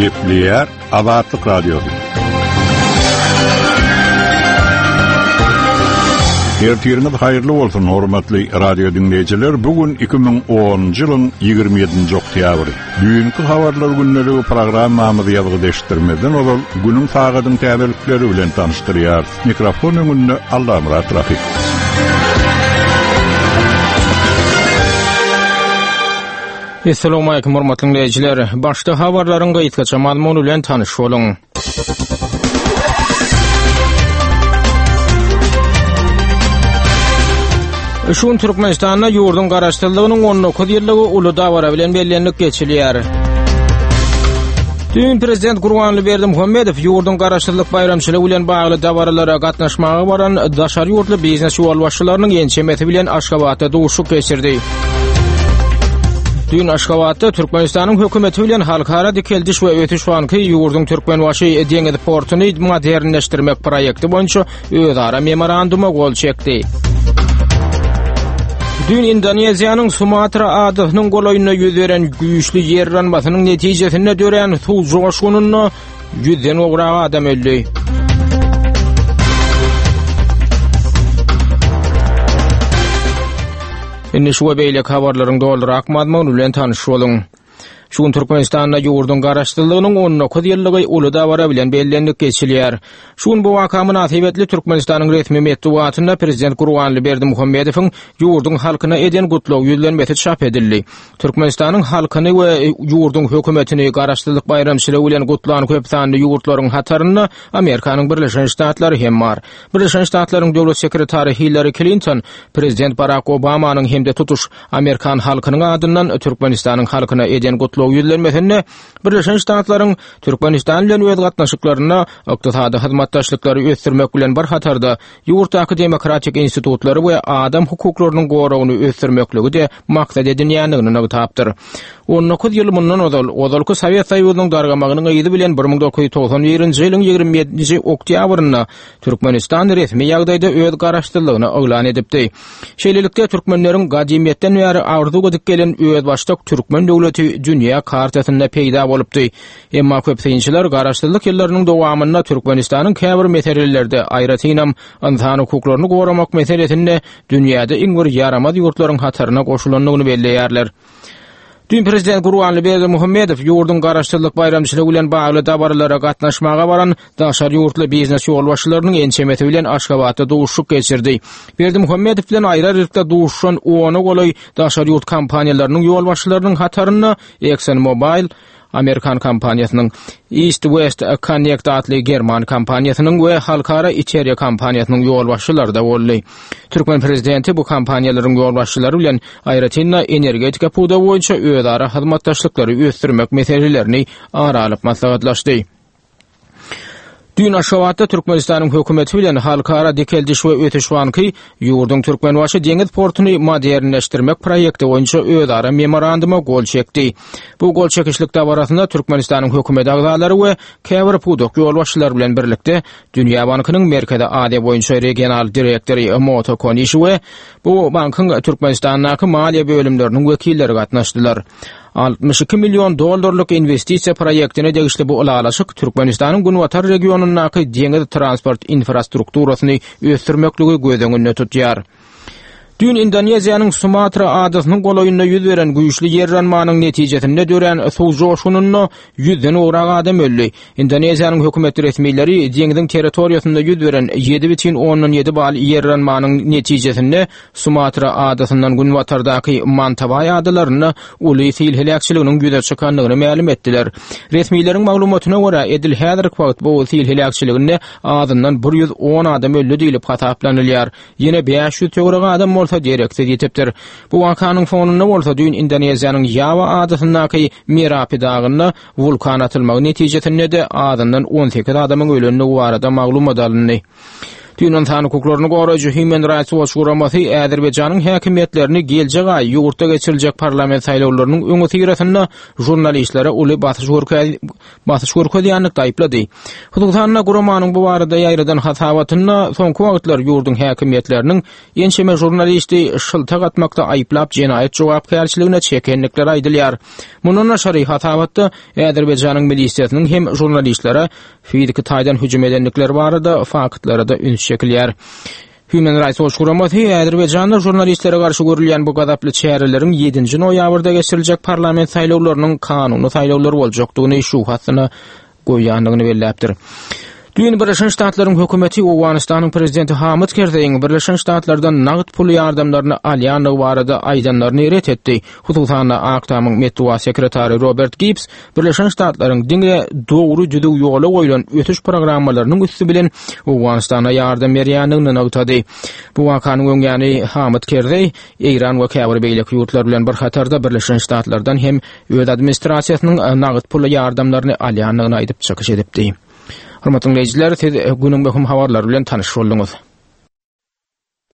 Gepleýär Azatlyk Radiosy. Ertiriňiz haýyrly bolsun, hormatly radio diňleýjiler. Bu gün 2010-njy ýylyň 27-nji oktýabry. Düýnki habarlar gündeligi programmamyzy ýazgyda eşitdirmezden ozal günüň sagadyň täzelikleri bilen tanyşdyrýarys. Mikrofon öňünde Allamyrat Rahyp. Assalamualaikum hormatly dinleýjiler. Başda habarlaryň gysgaça mazmuny bilen tanyş boluň. Şu gün Türkmenistanda ýurduň garaşsyzlygynyň 19 ýyllygy uly dabara bilen bellenilip geçilýär. Düýn prezident Gurbanguly Berdimuhamedow ýurduň garaşsyzlyk baýramçylygy bilen bagly dabaralara gatnaşmaga baran daşary ýurtly biznes ýolbaşçylarynyň ençemesi bilen Aşgabatda duşuşyk geçirdi. Düýn Aşgabatda Türkmenistanyň hökümeti bilen Halkara dikeldiş we ösüş banky ýurduň Türkmenbaşy deňiz portuny modernleşdirmek proýekti boýunça özara memoranduma gol çekdi. Düýn Indoneziýanyň Sumatra adasynyň golaýynda ýüz beren güýçli ýer yranmasynyň netijesinde dörän suw joşgunynda ýüzden gowrak adam öldi. Indi şu we beýleki habarlaryň dolurak mazmuny bilen tanyş boluň. Şu gün Türkmenistanda ýurduň Garaşsyzlygynyň 19 ýyllygy uly dabara bilen bellenilip geçilýär. Şu gün bu waka mynasybetli Türkmenistanyň resmi metbugatynda Prezident Gurbanguly Berdimuhamedowyň ýurduň halkyna eden gutlag ýüzlenmesi çap edildi. Türkmenistanyň halkyny we ýurduň hökümetini Garaşsyzlyk baýramçylygy bilen gutlan köp sanly ýurtlaryň hatarynda Amerikanyň Birleşen Ştatlary hem bar. Birleşen Ştatlaryň Döwlet sekretary Hillari Klinton Prezident Barak Obamanyň hem-de tutuş Amerikan halkynyň adyndan Türkmenistanyň halkyna eden gutlag ýüzlenmesinde Birleşen Ştatlaryň Türkmenistan bilen öz gatnaşyklarynda ykdysady hyzmatdaşlyklary ösdürmek bilen bir hatarda ýurtdaky demokratik institutlary we adam hukuklarynyň goragyny ösdürmekligi-de maksat edinýändigini nygtapdyr. 19 ýyl mundan ozal, ozalky Sowet Soýuzynyň dargamagynyň yzy bilen 1991-nji ýylyň 27-nji oktýabrynda Türkmenistan resmi ýagdaýda öz garaşsyzlygyny yglan edipdi. Şeýlelikde, türkmenleriň gadymyýetden bäri arzuw edip gelen özbaşdak türkmen döwleti dünýä kartasynda peýda bolupdy. Emma köp synçylar garaşsyzlyk ýyllarynyň dowamynda Türkmenistanyň käbir meselelerde, aýratynam, ynsan hukuklaryny goramak meselesinde dünýäde iň bir ýaramaz ýurtlaryň hataryna goşulandygyny belleýärler. Düýn prezident Gurbanguly Berdimuhamedow ýurduň garaşsyzlyk baýramçylygy bilen bagly dabaralara gatnaşmaga baran daşary ýurtly biznes ýolbaşçylarynyň ençemesi bilen Aşgabatda duşuşyk geçirdi. Berdimuhamedow bilen aýry-aýrylykda duşuşan ona golaý daşary ýurt kompaniýalarynyň ýolbaşçylarynyň hatarynda ExxonMobil, amerikan kompaniýasynyň, East West Connect atly german kompaniýasynyň we halkara Iteria kompaniýasynyň ýolbaşçylary-da boldy. Türkmen prezidenti bu kompaniýalaryň ýolbaşçylary bilen aýratyn-da energetika pudagy boýunça özara hyzmatdaşlyklary ösdürmek meselelerini ara alyp maslahatlaşdy. Düýn Aşgabatda Türkmenistanyň hökümeti bilen Halkara dikeldiş we ösüş banky ýurduň Türkmenbaşy deňiz portuny modernleşdirmek proýekti boýunça özara memoranduma gol çekdi. Bu gol çekişlik dabarasynda Türkmenistanyň hökümet agzalary we käbir pudak ýolbaşçylary bilen birlikde Dünýä bankynyň Merkezi Aziýa boýunça regional direktory Moto Konişi we bu bankyň Türkmenistandaky maliýe bölümleriniň wekilleri gatnaşdylar. 62 million dollarlyk inwestisiýa proýektine degişli bu ylalaşyk Türkmenistanyň günbatar regionyndaky deňiz transport infrastrukturasyny ösdürmekligi göz öňünde tutýar. Düýn Indoneziýanyň Sumatra adasynyň golaýynda ýüz beren güýçli ýer yranmanyň netijesinde dörän suw joşgunynda ýüzden gowrak adam öldi. Indoneziýanyň hökümet resmileri deňziň territoriýasynda ýüz beren 7,7 bal ýer yranmanyň netijesinde Sumatra adasyndan günbatardaky Mantawaý adalarynda uly sil heläkçiliginiň ýüze çykandygyny mälim etdiler. Resmileriň maglumatyna görä, edil häzirki wagt bu sil heläkçiliginde azyndan 110 adam öldi diýlip hasaplanylýar. Ýene 500 töweregi adam bolsa dereksiz ýitipdir. Bu wakanyň fonunda bolsa düýn Indoneziýanyň Ýawa adasyndaky Merapi dagynda wulkan atylmagy netijesinde-de azyndan 18 adamyň ölendigi barada maglumat alyndy. Düýn ynsan hukuklaryny goraýjy Human Rights Watch guramasy Azerbaýjanyň häkimiýetlerini geljek aý ýurtda geçiriljek parlament saýlawlarynyň öňüsyrasynda žurnalistlere uly basyş basyş görkezýänlikde aýyplady. Hususan-da, guramanyň bu barada ýaýradan hasabatynda soňky wagtlar ýurduň häkimiýetleriniň ençeme žurnalisti şyltak atmakda aýyplap jenaýat jogapkärçiligine çekendikleri aýdylýar. Mundan daşary, hasabatda Azerbaýjanyň milisiýasynyň hem žurnalistlere fiziki taýdan hüjüm edendikleri barada faktlara-da üns çekilýär. Human Rights Watch guramasy Azerbaýjanda žurnalistlere garşy görülýän bu gazaply çäreleriň ýedinji noýabrda geçiriljek parlament saýlawlarynyň kanuny saýlawlar boljakdygyny şübhe astyna goýýandygyny belläpdir. Düýn Birleşen Ştatlaryň hökümeti Owganystanyň prezidenti Hamid Kerzeýiň Birleşen Ştatlardan nagt pul ýardamlaryny alýandygy barada aýdanlaryny ret etdi. Hususan-da, Ak Tamyň metbugat sekretary Robert Gibbs Birleşen Ştatlaryň diňe dogry düzüw ýola goýlan ösüş programmalarynyň üsti bilen Owganystana ýardam berýändigini nygtady. Bu wakanyň öňýany Hamid Kerzeý Eýran we käbir beýleki ýurtlar bilen bir hatarda Birleşen Ştatlardan hem öz administrasiýasynyň nagt pul ýardamlaryny alýandygyny aýdyp çykyş edipdi. Hormatly diňleýjiler, siz günüň möhüm habarlary bilen tanyş bolduňyz.